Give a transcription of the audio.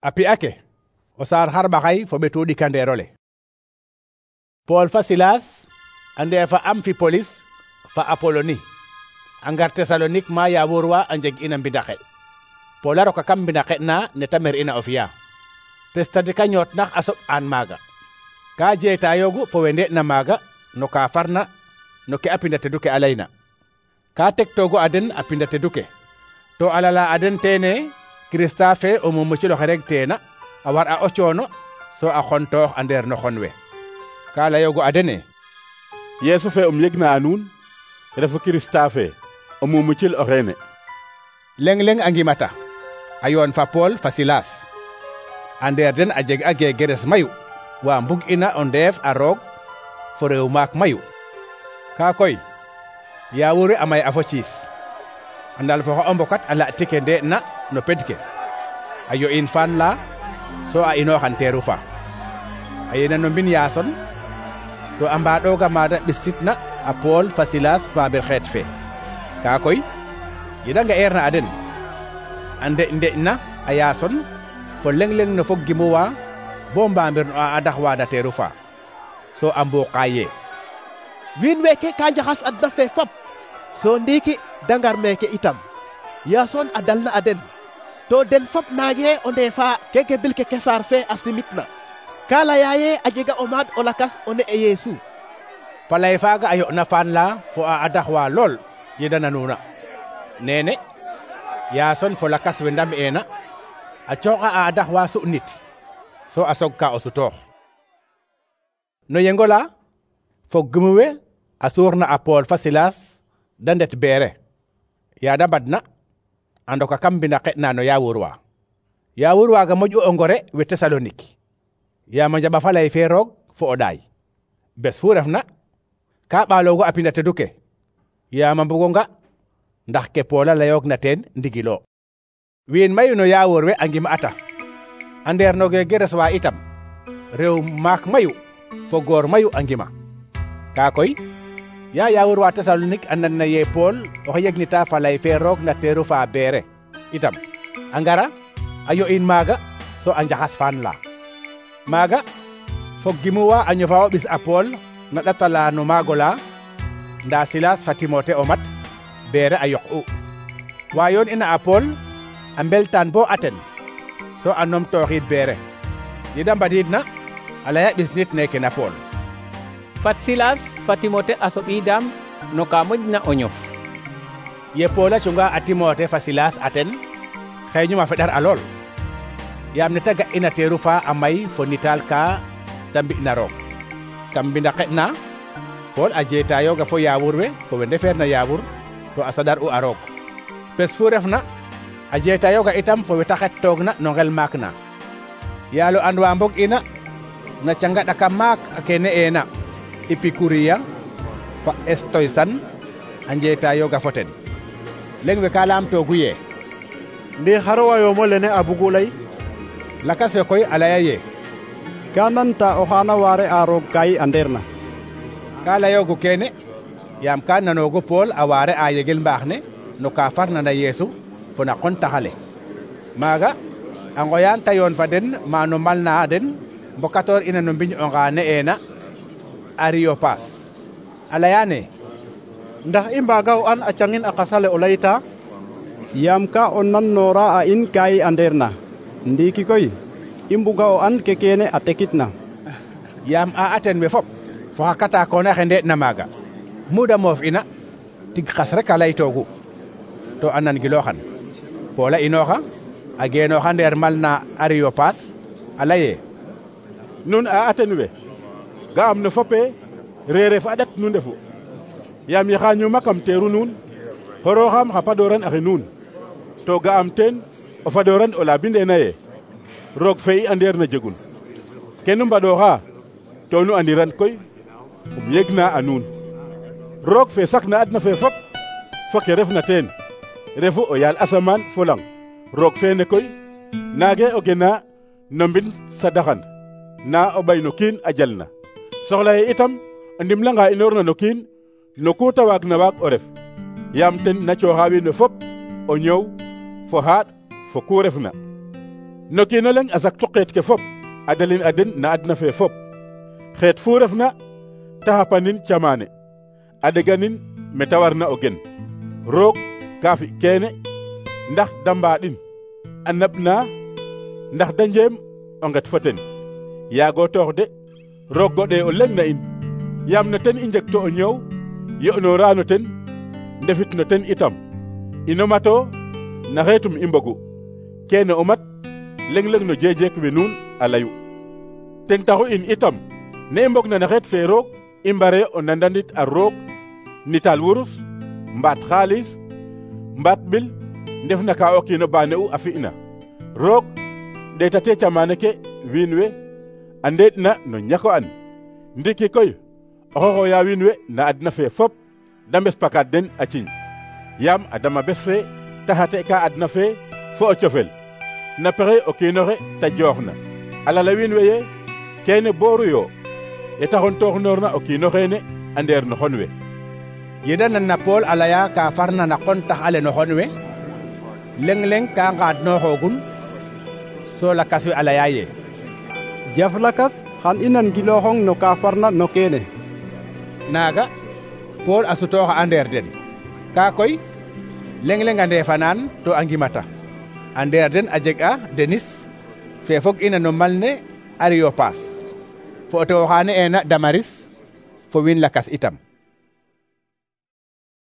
A pi'a ke o saar xarɓaxay fo ɓetu ɗikandeerole. Pool fa Silas a ndeefa Amfipolis fa Apoloni a ngar Tesalonik ma yaawur wa a njeg ina mbindaxe. Pool a roka kam mbindaxe na ne ta mer ina o fi'a. Pes tadika ñoot nax a soɓ aan maaga. Ka jeetayoogu fo we nde'na maaga no ka farna no ke a pinda tedu ke a layna. Ka tektoogu a den a pinda tedu ke, to a lala a den teene Kirista fe o mumuciloxe rek teena a war a o coono so a xontoox a ndeer no xon we. Ka layoogu a dene: Yeesu fe yegna a nuun refu Kirista fe o mumucil o xeene. Leng a ngimata a yoon fa Pool fa Silas. A ndeer den a jeg a geegeres mayu wa mbug ina o ndeef a roog fo rew maak mayu. Ka koy yaawur we a may a fo ciis a ndalfooxa o mbokat a laɗ ke nde'na no ped ke a yo'in faan la so a inooxan teeru fa a yena no mbin Yaason to a mbaɗooga maada ɓissitna a Pool fa Silas paamir xeet fe. Ka koy yeda nga'eerna a den a nde'na a Yaason fo leng no fog gimuwa bo mbaamir no a daxwaana teeru fa so a mbuuqa ye wiin weeke ka njaxas adna fe fop so ndiiki dangar meeke itam Yaason a dalna a den to den fop naange o ndeefa keke bil ke Kesaar fe a simitna. Ka laya ye a jega o maad o lakas o ne'e Yeesu. Falay faaga a yo'na faan la fo a daxwa lool yeda nanuuna. Neene Yaason fo lakas we ndam'eena a cooxa a daxwa su'nit so a sogka o sutoox. No yengola fo gimu we a suurna a Pool fa Silas da ndet Beere. Yaada badna a ndoka kam mbindaxe na no yaawur wa. Yaawur waaga moƴ'u o ngore we Tesalonik. Yaam a njaɓa fa lay fe roog fo o ɗaay. Bes fu refna ka ɓaaloogu a pinda tedu ke yaam a mbugonga ndax ke Pool a layoogna teen ndigilo. Wiin mayu no yaawur we a ngim'ata a ndeer no geegeres wa itam rew maak mayu fo goor mayu a ngima. Ka koy ya yaawur wa Tesalonik a nan na ye Pool oxe yegnita fa lay fe roog na teeru fa Beere itam a ngara a yo'in maaga so a njaxas faan la. Maaga fog gimuwa a ñofa o ɓis a Pool na ɗatala no maagola nda Silas fa Timote o mat Beere a yoq'u. Wa yoon ina a Pool a mbeltaan bo Aten so a numtooxiid Beere. Yeda mbadiidna a laya ɓis nit neke na Pool. Fat Silas fa Timote a soɓiidam no ka moƴna o ñof. Ye Pool a cunga a Timote fa Silas Aten xeeñum a feɗar a lool yaam ne ta ga'ina teeru fa a may fo nitaal ka da mbi'na roog. Kam mbindaxe na Pool a jeetayooga fo yaawur we fo we ndefeerna yaawur to a saɗar'u a roog. Pes fu refna a jeetayooga itam fo we ta xettoogna no ngel maak na. Yaalo andwa mbog ina na canga ɗaka maak a ke ne'eena Epikuriya fa Estoysan a njeetayooga fo ten. Leng we ka laamtoogu ye ndi xaro wayoomo lene a bugu lay. Lakas we koy a laya ye ka nanta o xaana waare a roog kayi a ndeerna. Ka layoogu keene yaam ka nanoogu Pool a waare a yegel mbaax ne no ka farna na Yeesu fo na qontaxale. Maaga a ngoyaan ta yoon fa den ma no malna den mbokatoor ina no mbiñ onga ne'eena Areopas. A layaane ndax i mbaaga o an a cangin a qasale o layta yaam ka o nannoora a in kayi a ndeerna. Ndiiki koy i mbuga o an ke keene a tekitna. Yaam a Aten we fop fo xa katakoona xe nde'na maaga muda moof ina tig xas rek a laytoogu to a nangilooxan. Pool a inooxa a geenooxa ndeer malna Areopas a laye Nun a Aten we ga'am no fope reere fa a ɗat nu ndefu yaam yaxa ñuma kam teeru nuun xorooxam xa padooran axe nuun to ga'am teen o fadooran o la bindeena ye roog fe i andeerna jegun ke nu mbaɗooxa to nu andiran koy yegna a nuun. Roog fe sakna adna fe fop fo ke refna teen refu o yaal asamaan fo lang. Roog feene koy naage o gena no mbin sadaxan na o ɓay no kiin a jalna. Soxla ye itam a ndimlanga inoorna no kiin no ku ta waagna waag o ref yaam ten na cooxa wiin we fop o ñoow fo xaaɗ fo ku refna. no kiino leŋ a saktu xeet ke fop a dalin a den na adna fe fop xeet fu refna te xapanin camaane a ɗeganin meta warna o gen roog ka fi keene ndax da mbaɗin a naɓna ndax da njeem o nget fo ten yaago toox de roog goɗe o leŋ na in yaam no ten i njeg to o ñoow yo'noora no ten ndefit no ten itam ino mato na xeetum i mbogu keene o mat leŋ-leŋ no jeejeek we nuun a layu ten taxu in itam ne i mbog na no xeet fe roog i mbare o nandanit a roog nital wurus mbaat xaalis mbaat ɓil ndef na ka o kiino baane u a fi'na roog ɗeetate camaane ke wiin we a ndeeɗ na no ñako an ndiki koy oxo xooya wiin we na adna fe fop da mbes pakaat den a ciñ yaam a dama bes fe te xate ka adna fe fo o cofel na pexe o kiinoxe ta joox na a lala wiin we ye keene booru yo ye taxon tooxnoorna o kiino xeene a ndeer no xon we yeda nan na Pool a laya ka farna na xon tax ale no xon we leŋ-leŋ ka ngaadnooxoogun so lakas we a laya ye jaf lakas xan i nan gilooxong no ka farna no keene naaga Pool a sutooxa a ndeer den ka koy leŋ-leŋ a ndeefanaan to a ngimata a ndeer den a jeg a Denis fe fog ina no mal ne Areyopaas fo o tewo xa ne'eena Damaris fo wiin lakas itam